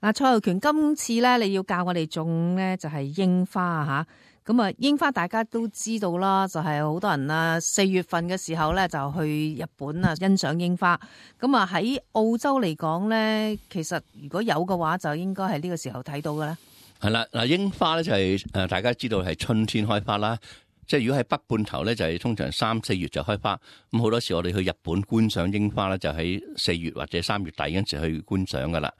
嗱，蔡浩權，今次咧你要教我哋種咧就係櫻花吓，咁啊櫻花大家都知道啦，就係好多人啊4月份嘅時候咧就去日本啊欣賞櫻花，咁啊喺澳洲嚟講咧，其實如果有嘅話，就應該係呢個時候睇到嘅咧。係啦，嗱櫻花咧就係大家知道係春天開花啦。即係如果喺北半球咧，就係通常3、4月就開花。咁好多時我哋去日本觀賞櫻花咧，就喺4月或者3月底嗰陣時去觀賞噶啦。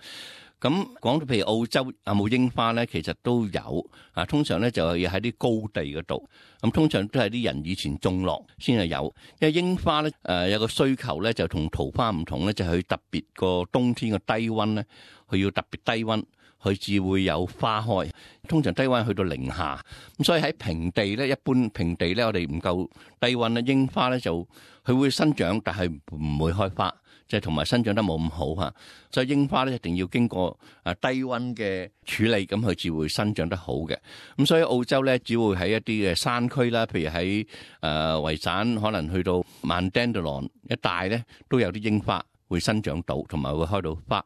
咁講到譬如澳洲有冇櫻花咧，其實都有啊。通常咧就係喺啲高地嗰度，咁通常都係啲人以前種落先係有。因為櫻花咧有個需求咧，就同桃花唔同咧，就係佢特別個冬天嘅低溫咧，佢要特別低溫。佢至會有花開，通常低溫去到零下，咁所以喺平地咧，一般平地咧，我哋唔夠低溫咧，櫻花咧就佢會生長，但係唔會開花，即係同埋生長得冇咁好吓。所以櫻花咧一定要經過低溫嘅處理，咁佢至會生長得好嘅。咁所以澳洲咧，只會喺一啲嘅山區啦，譬如喺維省，可能去到曼丹德朗一帶咧，都有啲櫻花會生長到，同埋會開到花。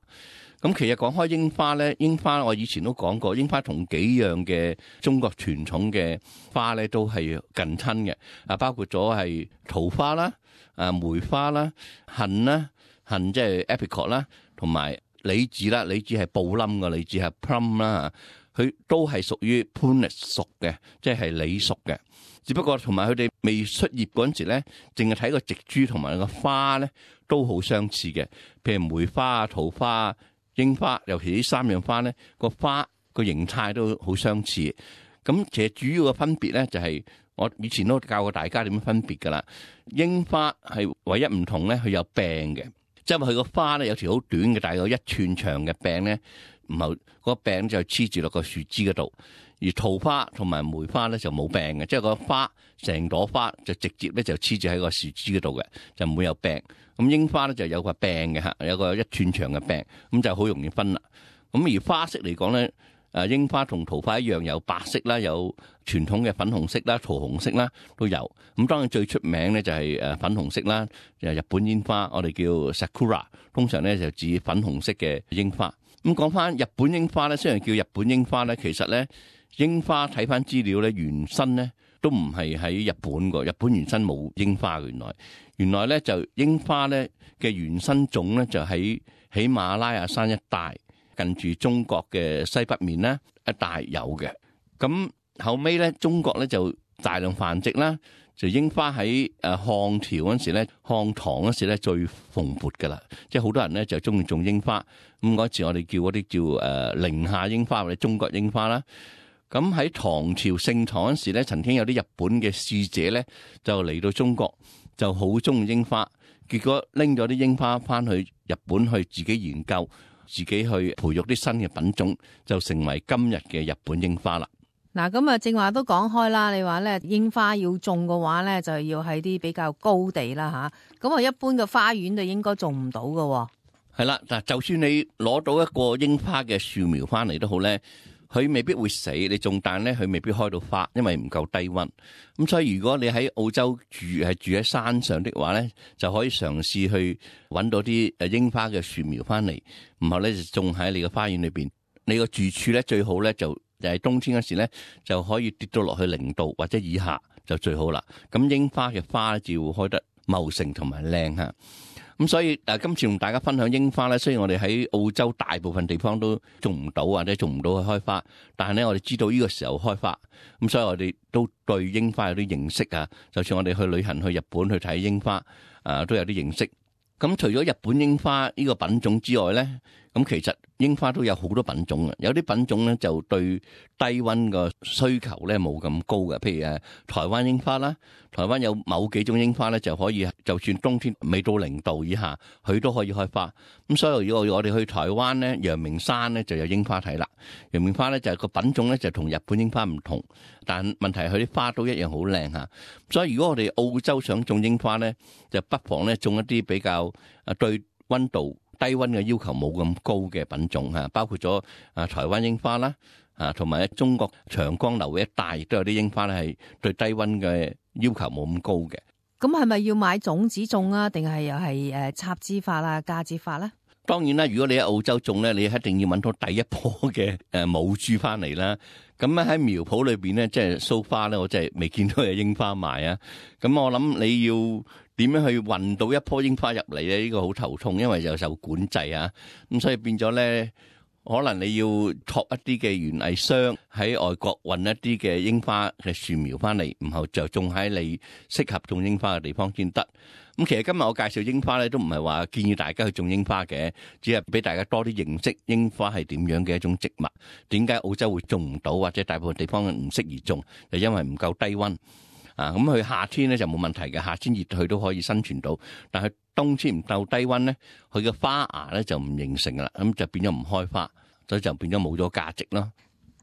咁其實講開櫻花咧，櫻花我以前都講過，櫻花同幾樣嘅中國傳統嘅花咧都係近親嘅，包括咗係桃花啦、梅花啦、杏啦、杏即係 apricot 啦，同埋李子啦，李子係布冧嘅，李子係 plum 啦，佢都係屬於 prunus 屬嘅，即係李屬嘅。只不過同埋佢哋未出葉嗰陣時咧，淨係睇個植株同埋個花咧都好相似嘅，譬如梅花啊、桃花啊、櫻花，尤其呢3樣花咧，個花個形態都好相似。咁其實主要嘅分別咧，就係我以前都教過大家點樣分別噶啦。櫻花係唯一唔同咧，佢有柄嘅，即係佢個花咧有條好短嘅，大概1寸長嘅柄咧，唔係個柄就黐住落個樹枝嗰度。而桃花同埋梅花咧就冇柄嘅，即係個花成朵花就直接咧就黐住喺個樹枝嗰度嘅，就唔會有柄。咁櫻花咧就有個柄嘅嚇，有個1寸長嘅柄，咁就好容易分啦。咁而花色嚟講咧，櫻花同桃花一樣有白色啦，有傳統嘅粉紅色啦、桃紅色啦都有。咁當然最出名咧就係粉紅色啦，就係日本櫻花，我哋叫 sakura， 通常咧就指粉紅色嘅櫻花。咁講翻日本櫻花咧，雖然叫日本櫻花咧，其實咧櫻花睇翻資料咧，原生咧都唔係喺日本㗎，日本原生冇櫻花嘅。原來咧就櫻花咧嘅原生種咧就喺喜馬拉雅山一帶，近住中國嘅西北面咧一帶有嘅。咁後尾咧中國咧就大量繁殖啦，就櫻花喺漢朝嗰時咧，漢唐嗰時咧最蓬勃噶啦，即係好多人咧就中意種櫻花。咁嗰時我哋叫嗰啲叫寧夏櫻花或者中國櫻花啦。咁喺唐朝盛唐嗰時咧，曾經有啲日本嘅使者咧就嚟到中國，就好中意櫻花，結果拎咗啲櫻花翻去日本去自己研究，自己去培育啲新嘅品種，就成為今日嘅日本櫻花啦。嗱，咁啊，正話都講開啦，你話咧櫻花要種嘅話咧，就要喺啲比較高地啦吓。咁啊，一般嘅花園就應該種唔到㗎。係啦，嗱，就算你攞到一個櫻花嘅樹苗翻嚟都好咧，佢未必會死，你種但咧佢未必開到花，因為唔夠低溫。咁所以如果你喺澳洲住喺山上的話咧，就可以嘗試去搵到啲櫻花嘅樹苗翻嚟，然後咧就種喺你嘅花園裏邊。你個住處咧最好咧就係冬天嗰時咧就可以跌到落去0度或者以下就最好啦。咁櫻花嘅花就會開得茂盛同埋靚吓。咁所以今次同大家分享櫻花咧，雖然我哋喺澳洲大部分地方都種唔到或者種唔到去開花，但係咧我哋知道呢個時候開花，咁所以我哋都對櫻花有啲認識啊。就算我哋去旅行去日本去睇櫻花，都有啲認識。咁除咗日本櫻花呢個品種之外咧，咁其實櫻花都有好多品種嘅，有啲品種咧就對低溫個需求咧冇咁高嘅，譬如台灣櫻花啦，台灣有某幾種櫻花咧就可以，就算冬天未到0度以下，佢都可以開花。咁所以如果我哋去台灣咧，陽明山咧就有櫻花睇啦。陽明花咧就係個品種咧就同日本櫻花唔同，但問題係佢啲花都一樣好靚吓。所以如果我哋澳洲想種櫻花咧，就不妨咧種一啲比較對溫度低溫嘅要求冇咁高嘅品種吓，包括咗台灣櫻花啦，同埋中國長江流域一帶亦都有啲櫻花咧係對低溫嘅要求冇咁高嘅。咁係咪要買種子種啊？定係又係插枝法啊、嫁接法咧？當然啦，如果你喺澳洲種咧，你一定要揾到第一棵嘅母株翻嚟啦。咁咧喺苗圃裏邊咧，即係so far咧，我真係未見到有櫻花賣啊。咁我諗你要點樣去運到一棵櫻花入嚟咧？呢個好頭痛，因為又受管制啊。咁所以變咗咧，可能你要託一啲嘅園藝商喺外國運一啲嘅櫻花嘅樹苗翻嚟，然後就種喺你適合種櫻花嘅地方先得。咁其實今日我介紹櫻花咧，都唔係話建議大家去種櫻花嘅，只係俾大家多啲認識櫻花係點樣嘅一種植物。點解澳洲會種唔到，或者大部分地方唔適宜種，就因為唔夠低溫啊。咁佢夏天咧就冇問題嘅，夏天熱佢都可以生存到。但係冬天唔夠低溫咧，佢嘅花芽咧就唔形成噶啦，咁就變咗唔開花，所以就變咗冇咗價值咯。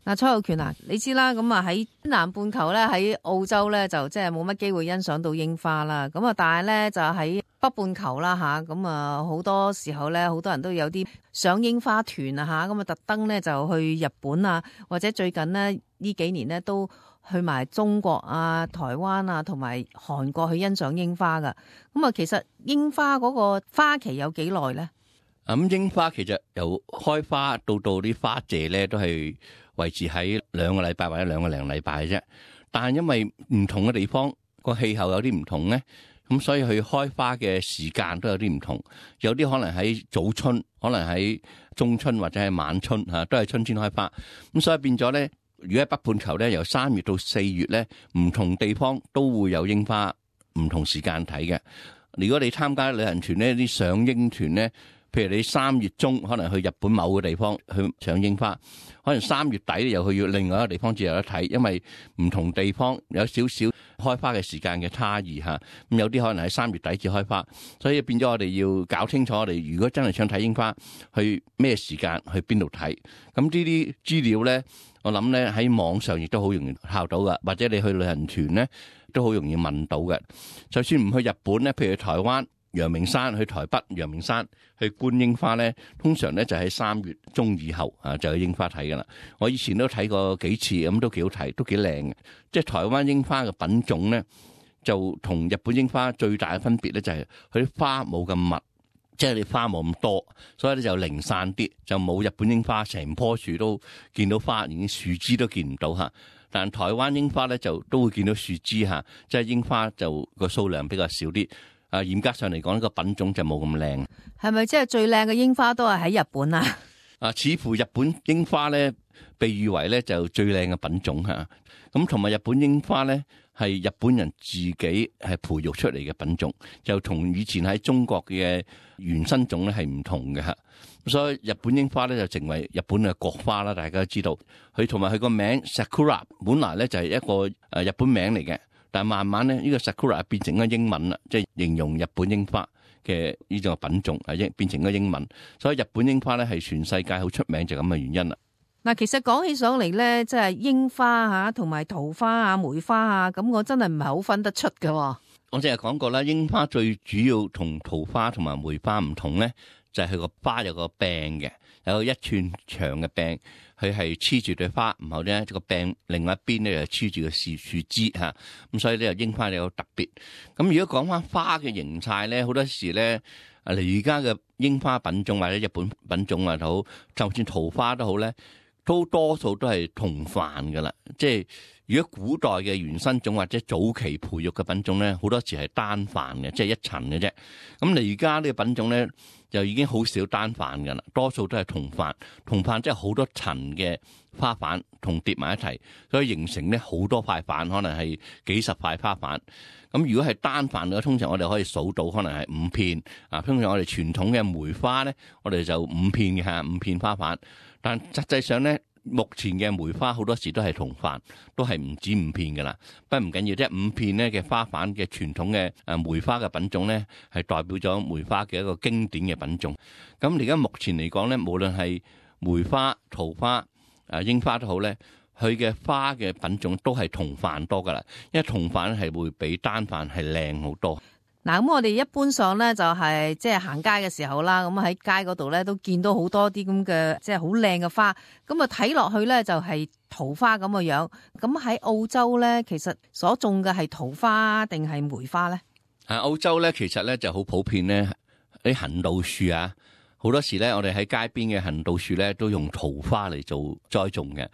嗱，蔡浩權啊，你知啦，咁啊喺南半球咧，喺澳洲咧就即係冇乜機會欣賞到櫻花啦。咁啊，但係咧就喺北半球啦吓，咁啊好多時候咧，好多人都有啲賞櫻花團啊吓，咁啊特登咧就去日本啊，或者最近呢幾年咧都去埋中國啊、台灣啊同埋韓國去欣賞櫻花噶。咁啊，其實櫻花嗰個花期有幾耐咧？咁櫻花其實由開花到啲花謝咧，都係維持喺2個禮拜或者2個零禮拜嘅啫。但係因為唔同嘅地方個氣候有啲唔同咧，咁所以佢開花嘅時間都有啲唔同。有啲可能喺早春，可能喺中春或者係晚春嚇，都係春天開花。咁所以變咗咧，如果喺北半球咧，由3月到4月咧，唔同地方都會有櫻花，唔同時間睇嘅。如果你參加旅行團咧，啲賞櫻團咧，譬如你3月中可能去日本某個地方去賞櫻花，可能3月底又去要另外一個地方至有得睇，因為唔同地方有少少開花嘅時間嘅差異嚇。咁有啲可能喺3月底至開花，所以變咗我哋要搞清楚，我哋如果真係想睇櫻花，去咩時間去邊度睇。咁呢啲資料咧，我諗咧喺網上亦都好容易考到噶，或者你去旅行團咧都好容易問到嘅。就算唔去日本咧，譬如去台灣陽明山，去台北陽明山去觀櫻花咧，通常咧就喺3月中以後啊就有櫻花睇噶啦。我以前都睇過幾次，咁都幾好睇，都幾靚嘅。即係台灣櫻花嘅品種咧，就同日本櫻花最大嘅分別咧就係佢啲花冇咁密，即係你花冇咁多，所以咧就零散啲，就冇日本櫻花成棵樹都見到花，連樹枝都見唔到嚇。但台灣櫻花咧就都會見到樹枝嚇，即係櫻花就個數量比較少啲。嚴格上嚟講，呢個品種就冇咁靚。係咪即係最靚嘅櫻花都係喺日本啊？似乎日本櫻花咧被譽為咧就最靚嘅品種嚇。咁同埋日本櫻花咧係日本人自己係培育出嚟嘅品種，就同以前喺中國嘅原生種咧係唔同嘅嚇。所以日本櫻花咧就成為日本嘅國花啦。大家都知道佢同埋佢個名 Sakura 本來咧就係一個日本名嚟嘅。但係慢慢咧，呢個 Sakura 變成咗英文啦，即係形容日本櫻花嘅呢種品種係變成咗英文，所以日本櫻花咧係全世界好出名就咁嘅原因啦。嗱，其實講起上嚟咧，即係櫻花嚇同埋桃花啊、梅花啊，咁我真係唔係好分得出嘅。我淨係講過啦，櫻花最主要同桃花同埋梅花唔同咧，就係佢個花有個柄嘅，有1寸長嘅柄。佢係黐住對花，然後咧個柄另外一邊咧就黐住個樹枝嚇，咁所以咧櫻花有特別。咁如果講翻花嘅形態咧，好多時咧而家嘅櫻花品種或者日本品種啊好，就算桃花都好咧，都多數都係同瓣噶啦。即係如果古代嘅原生種或者早期培育嘅品種咧，好多時係單瓣嘅，即係一層嘅啫。咁而家呢個品種咧，就已經好少單瓣噶啦，多數都係同瓣。同瓣即係好多層嘅花瓣同疊埋一齊，所以形成咧好多塊瓣，可能係幾十塊花瓣。咁如果係單瓣嘅，通常我哋可以數到，可能係5片。通常我哋傳統嘅梅花咧，我哋就5片嘅嚇，5片花瓣。但實際上咧，目前嘅梅花好多時都係同瓣，都係唔止5片噶啦。不過唔緊要，即係5片咧嘅花瓣嘅傳統嘅梅花嘅品種咧，係代表咗梅花嘅一個經典嘅品種。咁而家目前嚟講咧，無論係梅花、桃花、櫻花都好咧，佢嘅花嘅品種都係同瓣多噶啦，因為同瓣係會比單瓣係靚好多。嗱，咁我哋一般上咧就係即係行街嘅時候啦，咁喺街嗰度咧都見到好多啲咁嘅即係好靚嘅花，咁啊睇落去咧就係桃花咁嘅樣。咁喺澳洲咧，其實所種嘅係桃花定係梅花咧？澳洲咧其實咧就好普遍咧，啲行道樹啊，好多時咧，我哋喺街邊嘅行道樹咧，都用桃花嚟做栽種嘅。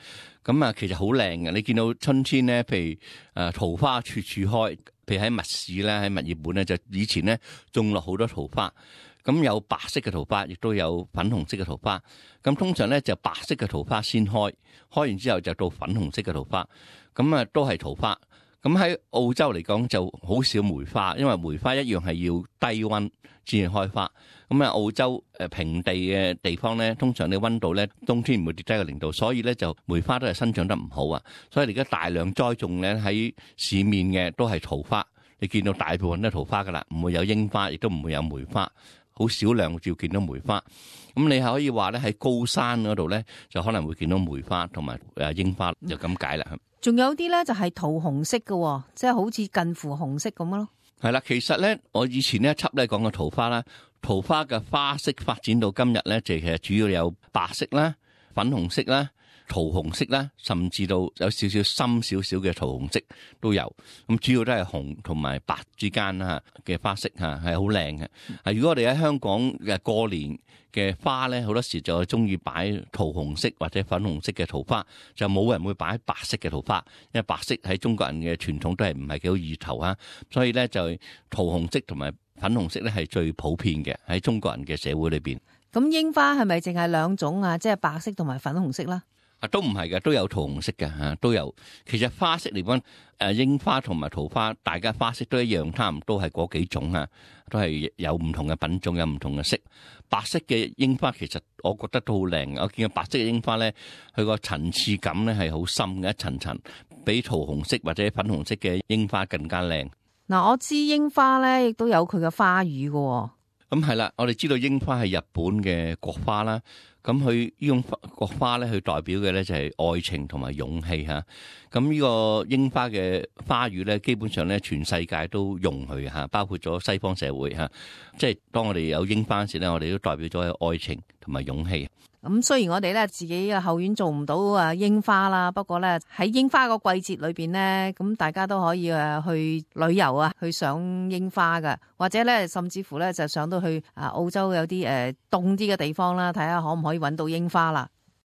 咁啊，其實好靚嘅。你見到春天咧，譬如桃花處處開，譬如喺密市咧，喺墨爾本咧，就以前咧種落好多桃花。咁有白色嘅桃花，亦都有粉紅色嘅桃花。咁通常咧就白色嘅桃花先開，開完之後就到粉紅色嘅桃花。咁啊，都係桃花。咁喺澳洲嚟講就好少梅花，因為梅花一樣係要低溫先至開花。咁啊，澳洲平地嘅地方咧，通常你溫度咧冬天唔會跌低個0度，所以咧就梅花都係生長得唔好啊。所以而家大量栽種咧喺市面嘅都係桃花，你見到大部分都係桃花噶啦，唔會有櫻花，亦都唔會有梅花，好少量照見到梅花。咁你係可以話咧喺高山嗰度咧就可能會見到梅花同埋櫻花，就咁解啦。仲有啲咧就係桃紅色嘅，即係好似近乎紅色咁咯。係啦，其實咧我以前呢一輯咧講過桃花啦，桃花嘅花色發展到今日咧，就其實主要有白色啦、粉紅色啦、桃紅色啦，甚至到有少少深少少嘅桃紅色都有。咁主要都係紅同埋白之間啦嘅花色嚇，係好靚嘅。如果我哋喺香港嘅過年嘅花咧，好多時就中意擺桃紅色或者粉紅色嘅桃花，就冇人會擺白色嘅桃花，因為白色喺中國人嘅傳統都係唔係幾好意頭啊，所以咧就桃紅色同埋粉紅色咧係最普遍嘅喺中國人嘅社會裏邊。咁櫻花係咪淨係兩種啊？即係白色同埋粉紅色啦？都唔係嘅，都有桃紅色嘅嚇，都有。其實花色嚟講，櫻花同埋桃花，大家花色都一樣，差唔多係嗰幾種啊，都係有唔同嘅品種，有唔同嘅色。白色嘅櫻花其實我覺得都好靚，我見到白色嘅櫻花咧，佢個層次感咧係好深嘅，一層層，比桃紅色或者粉紅色嘅櫻花更加靚。嗱，我知櫻花咧亦都有佢嘅花語嘅。咁係啦，我哋知道櫻花係日本嘅國花啦。咁佢呢種國花咧，佢代表嘅咧就係愛情同埋勇氣嚇。咁呢個櫻花嘅花語咧，基本上咧全世界都用佢嚇，包括咗西方社會嚇。即係當我哋有櫻花時咧，我哋都代表咗愛情同埋勇氣。咁雖然我哋咧自己嘅後院做唔到櫻花啦，不過咧喺櫻花個季節裏邊咧，咁大家都可以去旅遊啊，去賞櫻花噶，或者咧甚至乎咧就上到去澳洲有啲凍啲嘅地方啦，睇下可唔可以搵到櫻花啦。